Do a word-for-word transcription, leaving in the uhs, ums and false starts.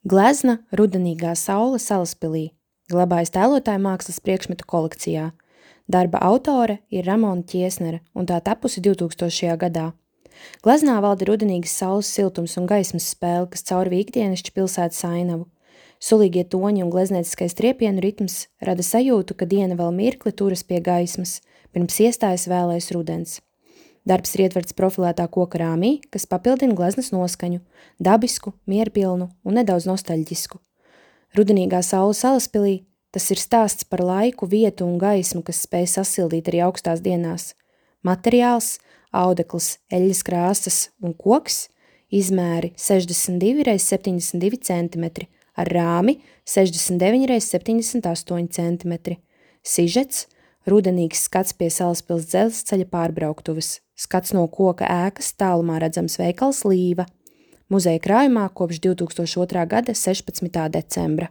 Glezna Rudenīgā saule Salaspilī glabājas tēlotāja mākslas priekšmetu kolekcijā. Darba autore ir Ramona Ķiesnere un tā tapusi divtūkstošajā gadā. Gleznā valda rudenīgas saules siltums un gaismas spēle, kas caur ikdienišķu pilsētas ainavu. Sulīgie toņi un gleznieciskais triepienu ritms rada sajūtu, ka diena vēl mirkli turas pie gaismas, pirms iestājas vēlais rudens. Darbs ir ietverts profilētā koka rāmī, kas papildina gleznas noskaņu, dabisku, mierpilnu un nedaudz nostalģisku. Rudenīgā saule Salaspilī – tas ir stāsts par laiku, vietu un gaismu, kas spēj sasildīt arī augstās dienās. Materiāls – audekls, eļļas krāsas un koks, izmēri sešdesmit divi reiz septiņdesmit divi centimetri, ar rāmi sešdesmit deviņi reiz septiņdesmit astoņi centimetri. Sižets – rudenīgs skats pie Salaspils dzelzceļa pārbrauktuves, skats no koka ēkas tālumā redzams veikals Līva, muzeja krājumā kopš divtūkstoš otrā gada sešpadsmitā decembra.